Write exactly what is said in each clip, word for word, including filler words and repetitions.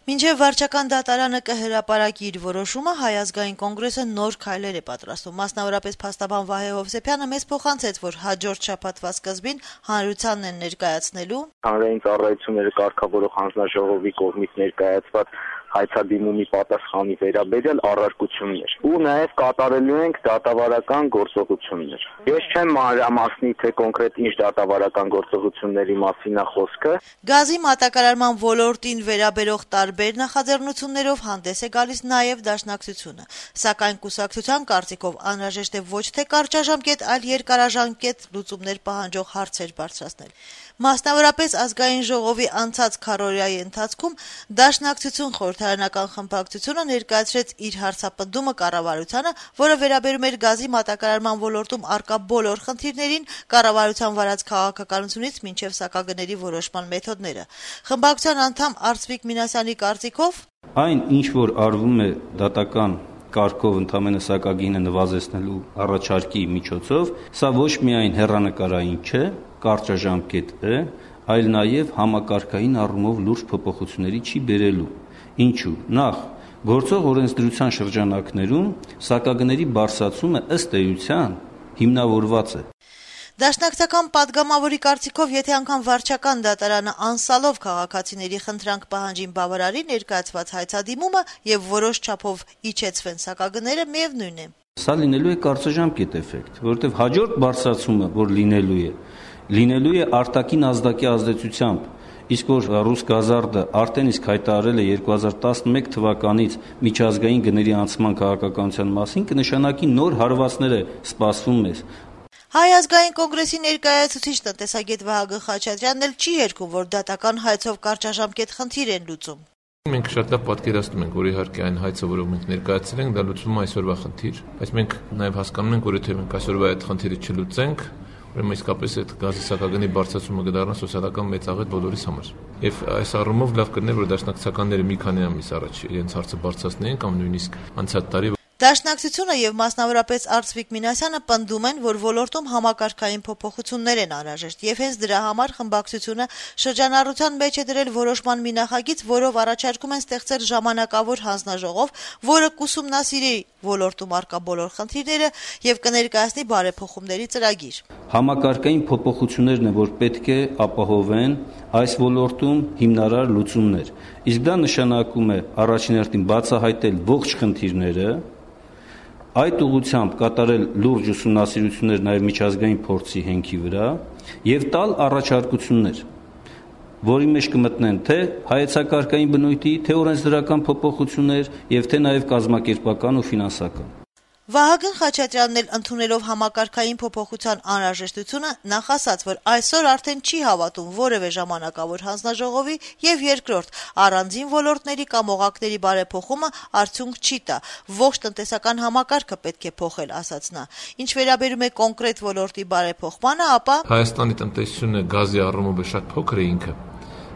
Մինչև վարչական դատարանը կհրապարակի իր որոշումը, Հայ ազգային կոնգրեսը նոր քայլեր է պատրաստում։ Մասնավորապես փաստաբան Վահե Հովսեփյանը մեզ փոխանցեց, որ հաջորդ շաբաթվա սկզբին հանրությանն են ներկայացնելու հանրային ծառայությունները կարգավորող հանձնաժողովի կողմից ներկայացված հայցադիմումի պատասխանի վերաբերյալ առարկություններ ու նաև կատարելու ենք դատավարական գործողություններ։ Ես չեմ մանրամասնի, թե կոնկրետ ինչ դատավարական գործողությունների մասին է խոսքը։ Գազի մատակարարման ոլորտին վերաբերող տարբեր նախաձեռնություններով հանդես է գալիս նաև Դաշնակցությունը, սակայն կուսակցության կարծիքով անհրաժեշտ է ոչ թե կարճաժամկետ, այլ երկարաժամկետ լուծումներ պահանջող հարցեր բարձրացնել։ Մասնավորապես ազգային ժողովի անցած քառօրյայի ընթացքում Դաշնակցություն խորհրդարանական խմբակցությունը ներկայացրեց իր հարցապնդումը կառավարությանը, որը վերաբերում էր գազի մատակարարման ոլորտում առկա բոլոր խնդիրներին, կառավարության վարած քաղաքականությունից մինչև սակագների որոշման մեթոդները։ Խմբակցության անդամ Արծվիկ Մինասյանի կարծիքով այն, ինչ որ արվում է դատական կարգով ընդամենը սակագինը նվազեցնելու առաջարկի միջոցով, սա ոչ միայն հեռանկարային չէ, կարճաժամկետ է, այլ նաև համակարգային առումով լուրջ փոփոխությունների չի բերելու։ Ինչու՞։ Նախ, գործող օրենսդրության շրջանակներում սակագների բարձրացումը ըստ էության հիմնավորված է։ Դաշնակցական падգամավորի կարծիքով, եթե անգամ վարչական դատարանը անսալով քաղաքացիների խնդրանք պահանջին բավարարի ներկայացված հայցադիմումը եւ որոշ չափով իջեցվեն սակագները, միևնույն է։ Սա լինելու է կարճաժամկետ էֆեկտ, որովհետեւ հաջորդ բարձրացումը, որ լինելու է, լինելու է արտաքին ազդակի ազդեցությամբ, իսկ որ Ռուսգազարդը արդեն իսկ հայտարարել է երկու հազար տասնմեկ թվականից միջազգային գների անցման քաղաքականության մասին, կնշանակի նոր հարվածներ է սպասվում մեզ։ Հայ ազգային կոնգրեսի ներկայացուցիչ տնտեսագետ Վահագն Խաչատրյանն էլ չի երգում, որ դատական հայցով կարճաժամկետ խնդիր են լուծում։ Մենք շատ լավ պատկերացնում ենք, որ իհարկե այն հայցը, որով մենք ներկայացրել ենք, դա լուծվում է այսօրվա խնդիր, բայց մենք նաև հասկանում ենք, որ եթե մենք այսօրվա այդ խնդիրը չլուծենք, ուրեմն իսկապես այդ գազի սակագնի բարձրացումը կդառնա սոցիալական մեծաղետ բոլորիս համար։ Եվ այս առումով լավ կլիներ, որ դաշնակցականները մի քանի ամիս առաջ իրենց հարցը բարձրացնեին կամ նույնիսկ անցած տարի։ Դաշնակցությունը եւ մասնավորապես Արծվիկ Մինասյանը պնդում են, որ ոլորտում համակարգային փոփոխություններ են անհրաժեշտ եւ հենց դրա համար խմբակցությունը շրջանառության մեջ է դրել որոշման մի նախագիծ, որով առաջարկում են ստեղծել ժամանակավոր հանձնաժողով, որը կուսումնասիրի ոլորտում առկա բոլոր խնդիրները եւ կներկայացնի բարեփոխումների ծրագիր։ Համակարգային փոփոխություններն են, որ պետք է ապահովեն այս ոլորտում հիմնարար լուծումներ։ Իսկ դա նշանակում է առաջին հերթին բացահայտել ողջ խնդիրները, այդ ուղղությամբ կատարել լուրջ ուսումնասիրություններ նաև միջազգային փորձի հենքի վրա եւ տալ առաջարկություններ, որի մեջ կմտնեն թե հայեցակարգային բնույթի, թե օրենսդրական փոփոխություններ եւ թե նաև կազմակերպական ու ֆինանսական։ Վահագն Խաչատրյանն էլ ընդունելով համակարգային փոփոխության անհրաժեշտությունը նախ ասաց, որ այսօր արդեն չի հավատում որևէ ժամանակավոր հանձնաժողովի եւ երկրորդ առանձին ոլորտների կամ օղակների բարեփոխումը արդյունք չի տա։ Ողջ տնտեսական համակարգը պետք է փոխել, ասաց նա։ Ինչ վերաբերում է կոնկրետ ոլորտի բարեփոխմանը, ապա Հայաստանի տնտեսությունը գազի առումով շատ փոքր է ինքը։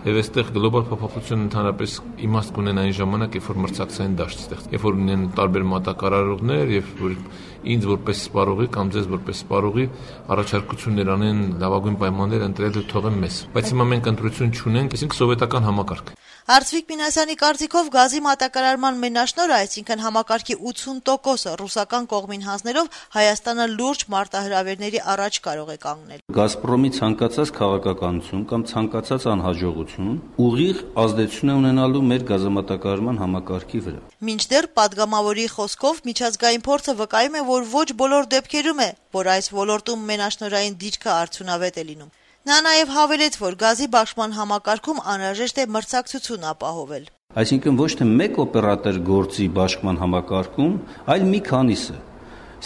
Եվ այստեղ գլոբալ փոփոխությունը ընդհանրապես իմաստ կունեն այն ժամանակ, երբ որ մրցակցային դաշտ ստեղծվի, երբ որ ունեն տարբեր մատակարարողներ, եւ որ ինձ որպես սպառողի կամ ձեզ որպես սպառողի առաջարկություններ անեն, լավագույն պայմաններ ընտրել ու թողեն մեզ։ Բայց հիմա մենք ընտրություն չունենք, այսինքն սովետական համակարգ։ Արծվիկ Մինասյանի կարծիքով գազի մատակարարման մենաշնորհը, այսինքն համակարգի ութուն տոկոսը ռուսական կողմին հանձնելով Հայաստանը լուրջ մարտահրավերների առաջ կարող է կանգնել։ Գազպրոմի ցանկացած քաղաքականություն կամ ցանկացած անհաջողություն ուղիղ ազդեցություն է ունենալու մեր գազամատակարարման համակարգի վրա։ Մինչդեռ падգամավորի խոսքով միջազգային փորձը վկայում է, որ ոչ բոլոր դեպքերում է, որ այս ոլորտում մենաշնորհային դիրքը արդյունավետ է լինում։ Նա նաև հավելեց, որ գազի բաշխման համակարգում անհրաժեշտ է մրցակցություն ապահովել։ Այսինքն ոչ թե մեկ օպերատոր գործի բաշխման համակարգում, այլ մի քանիսը։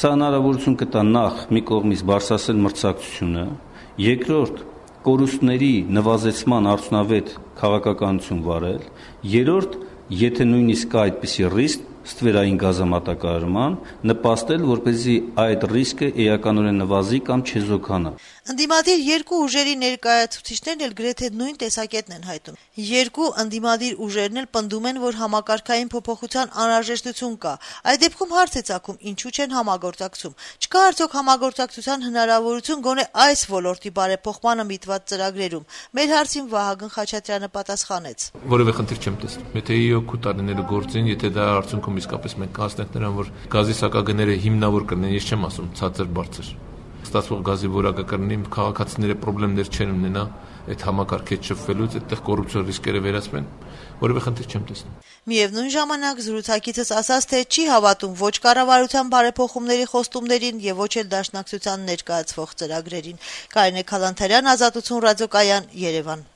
Սա հնարավորություն կտա նախ մի կողմից բարձրացնել մրցակցությունը, երկրորդ կորուստների նվազեցման արդյունավետ քաղաքականություն վարել, երրորդ, եթե նույնիսկ կա այդպիսի ռիսկ, ստվերային գազամատակարարման, նպաստել, որպեսզի այդ ռիսկը էականորեն նվազի կամ չեզոքանա։ Ընդդիմադիր երկու ուժերի ներկայացուցիչներն էլ գրեթե նույն տեսակետն են հայտնում։ Երկու ընդդիմադիր ուժերն էլ պնդում են, որ համակարգային փոփոխության անհրաժեշտություն կա։ Այդ դեպքում հարց է ծագում, ինչու չեն համագործակցում։ Չկա արդյոք համագործակցության հնարավորություն գոնե այս ոլորտի բարեփոխմանը միտված ծրագրերում։ Մեր հարցին Վահագն Խաչատրյանը պատասխանեց. Որևէ խնդիր չեմ տեսնում։ Եթե իօքու տարիները գործին, եթե դա արդյունքում իսկապես մենք հասնենք նրան, որ գազի սակագները հիմնավոր կլինեն, ես չեմ ասում ցածր բարձր։ Ստացվող գազի որակը կլինի, քաղաքացիները խնդիրներ չեն ունենա այդ համակարգից շփվելուց, այդտեղ կոռուպցիա ռիսկերը վերացվեն, որևէ խնդիր չեմ տեսնում։ Միևնույն ժամանակ զրուցակիցս ասաց, թե չի հավատում ոչ կառավարության բարեփոխումների խոստումներին եւ ոչ էլ Դաշնակցության ներկայացվող ծրագրերին։ Կարինե Քալանթարյան, Ազատություն ռադիոկայան, Երևան։